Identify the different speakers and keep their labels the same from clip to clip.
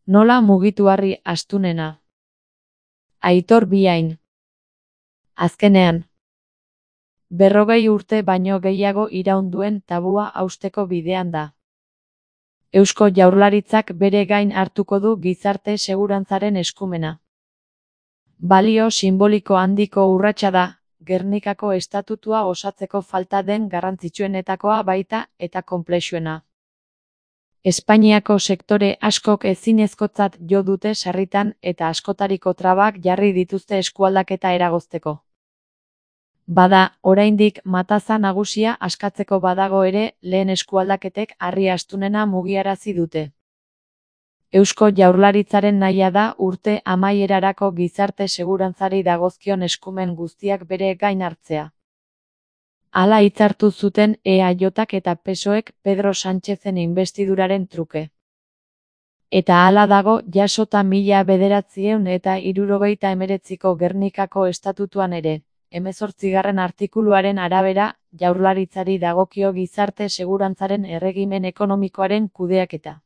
Speaker 1: Nola mugitu-harri astunena. Aitor Biain. Azkenean. 40 urte baino gehiago iraun duen tabua hausteko bidean da. Eusko Jaurlaritzak bere gain hartuko du gizarte segurantzaren eskumena. Balio sinboliko handiko urratsa da, Gernikako estatutua osatzeko falta den garrantzitsuenetakoa baita eta konplexuena. Espainiako sektore askok ezinezkotzat jo dute sarritan eta askotariko trabak jarri dituzte eskualdaketa eragozteko. Bada, oraindik mataza nagusia askatzeko badago ere, lehen eskualdaketek harri astunena mugiarazi dute. Eusko Jaurlaritzaren nahia da urte amaierarako gizarte segurantzari dagozkion eskumen guztiak bere gain hartzea. Hala hitzartu zuten EAJak eta PSOEk Pedro Sánchezen inbestiduraren truke. Eta hala dago jasota 1979ko Gernikako estatutuan ere. 18. artikuluaren arabera, Jaurlaritzari dagokio gizarte segurantzaren erregimen ekonomikoaren kudeaketa.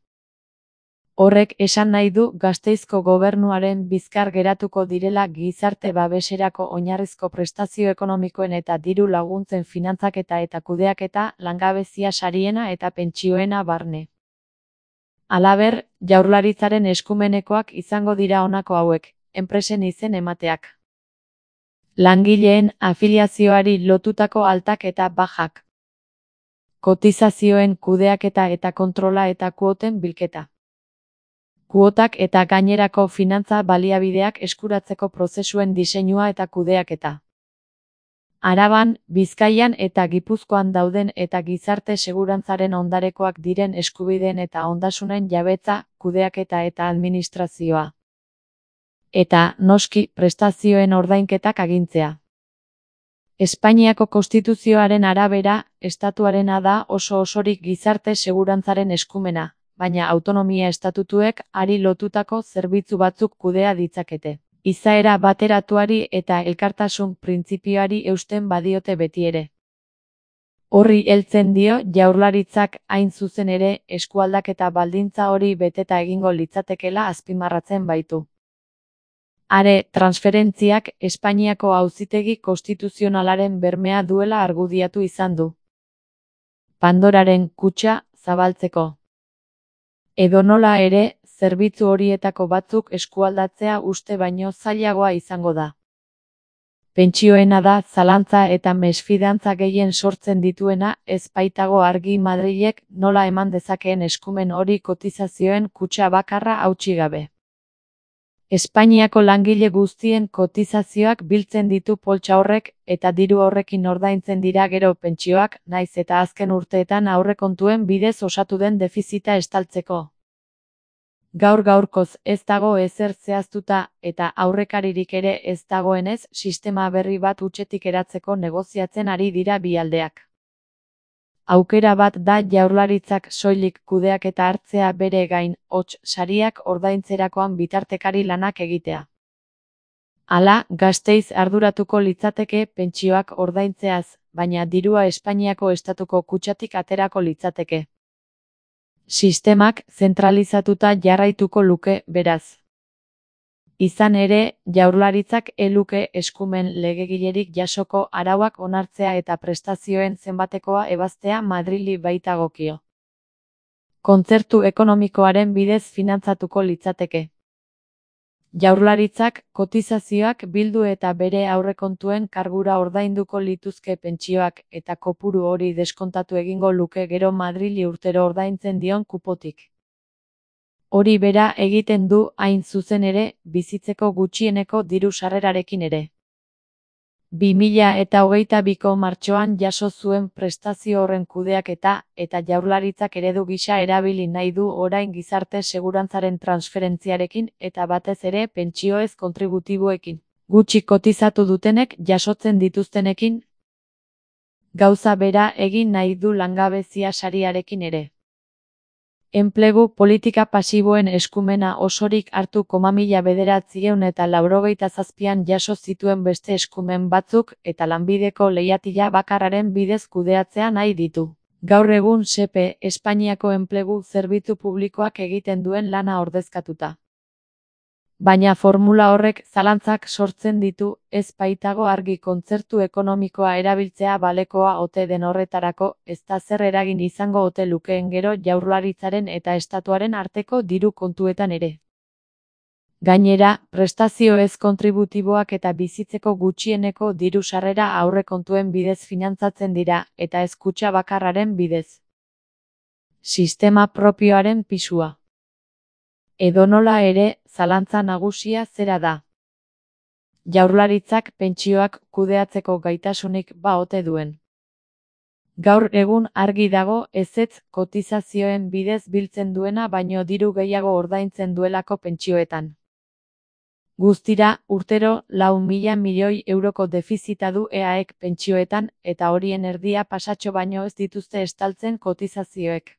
Speaker 1: Horrek esan nahi du Gasteizko gobernuaren bizkar geratuko direla gizarte babeserako oinarrizko prestazio ekonomikoen eta diru laguntzen finantzaketa eta kudeaketa, langabezia sariena eta pentsioena barne. Halaber, Jaurlaritzaren eskumenekoak izango dira honako hauek, enpresen izen emateak. Langileen afiliazioari lotutako altak eta bajak. Kotizazioen kudeaketa eta kontrola eta kuoten bilketa. Kuotak eta gainerako finantza baliabideak eskuratzeko prozesuen diseinua eta kudeaketa. Araban, Bizkaian eta Gipuzkoan dauden eta gizarte segurantzaren ondarekoak diren eskubideen eta ondasunen jabetza, kudeaketa eta administrazioa. Eta, noski, prestazioen ordainketak agintzea. Espainiako konstituzioaren arabera, estatuarena da oso-osorik gizarte segurantzaren eskumena, baina autonomia estatutuek hari lotutako zerbitzu batzuk kudea ditzakete. Izaera bateratuari eta elkartasun printzipioari eusten badiote betiere. Horri heltzen dio Jaurlaritzak hain zuzen ere eskualdaketa baldintza hori beteta egingo litzatekeela azpimarratzen baitu. Are, transferentziak Espainiako Auzitegi Konstituzionalaren bermea duela argudiatu izan du. Pandoraren kutxa zabaltzeko. Edonola ere, zerbitzu horietako batzuk eskualdatzea uste baino zailagoa izango da. Pentsioena da zalantza eta mesfidantza gehien sortzen dituena, ez baitago argi Madrilek nola eman dezakeen eskumen hori kotizazioen kutxa bakarra hautsi gabe. Espainiako langile guztien kotizazioak biltzen ditu poltsa horrek eta diru horrekin ordaintzen dira gero pentsioak, nahiz eta azken urteetan aurrekontuen bidez osatu den defizita estaltzeko. Gaur-gaurkoz ez dago ezer zehaztuta eta aurrekaririk ere ez dagoenez sistema berri bat hutsetik eratzeko negoziatzen ari dira bi aldeak. Aukera bat da Jaurlaritzak soilik kudeaketa hartzea bere gain, hots sariak ordaintzerakoan bitartekari lanak egitea. Hala, Gasteiz arduratuko litzateke pentsioak ordaintzeaz, baina dirua Espainiako estatuko kutxatik aterako litzateke. Sistemak zentralizatuta jarraituko luke, beraz. Izan ere, Jaurlaritzak eluke eskumen legegilerik jasoko arauak onartzea eta prestazioen zenbatekoa ebaztea Madrili baitagokio. Kontzertu ekonomikoaren bidez finantzatuko litzateke. Jaurlaritzak kotizazioak bildu eta bere aurrekontuen kargura ordainduko lituzke pentsioak eta kopuru hori deskontatu egingo luke gero Madrili urtero ordaintzen dion kupotik. Hori bera egiten du hain zuzen ere, bizitzeko gutxieneko diru sarrerarekin ere. 2022ko martxoan jaso zuen prestazio horren kudeaketa eta Jaurlaritzak eredu gisa erabili nahi du orain gizarte segurantzaren transferentziarekin eta batez ere pentsioez kontributiboekin. Gutxi kotizatu dutenek jasotzen dituztenekin. Gauza bera egin nahi du langabezia sariarekin ere. Enplegu politika pasiboen eskumena osorik hartu 1997an jaso zituen beste eskumen batzuk eta lanbideko leihatila bakarraren bidez kudeatzea nahi ditu. Gaur egun SEPE Espainiako enplegu zerbitzu publikoak egiten duen lana ordezkatuta. Baina formula horrek zalantzak sortzen ditu, ez baitago argi kontzertu ekonomikoa erabiltzea balekoa ote den horretarako, ezta zer eragin izango ote lukeen gero Jaurlaritzaren eta Estatuaren arteko diru kontuetan ere. Gainera, prestazio ez kontributiboak eta bizitzeko gutxieneko diru sarrera aurrekontuen bidez finantzatzen dira, eta ez kutxa bakarraren bidez. Sistema propioaren pisua. Edonola ere, zalantza nagusia zera da. Jaurlaritzak pentsioak kudeatzeko gaitasunik ba ote duen. Gaur egun argi dago ezetz kotizazioen bidez biltzen duena baino diru gehiago ordaintzen duelako pentsioetan. Guztira, urtero 4.000 milioi euroko defizita du EAek pentsioetan, eta horien erdia pasatxo baino ez dituzte estaltzen kotizazioek.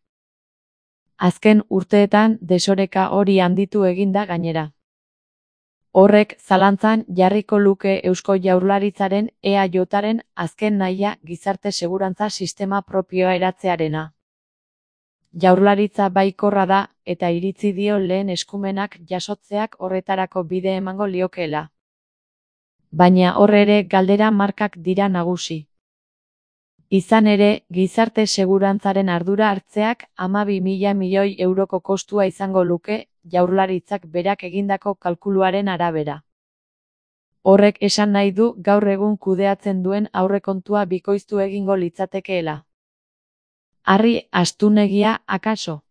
Speaker 1: Azken urteetan desoreka hori handitu eginda gainera. Horrek zalantzan jarriko luke Eusko Jaurlaritzaren EAJaren azken nahia gizarte segurantza sistema propioa eratzearena. Jaurlaritza baikorra da eta iritzi dio lehen eskumenak jasotzeak horretarako bide emango liokeela. Baina hor ere galdera markak dira nagusi. Izan ere, gizarte segurantzaren ardura hartzeak 12.000 milioi euroko kostua izango luke, Jaurlaritzak berak egindako kalkuluaren arabera. Horrek esan nahi du gaur egun kudeatzen duen aurrekontua bikoiztu egingo litzatekeela. Harri astunegia, akaso?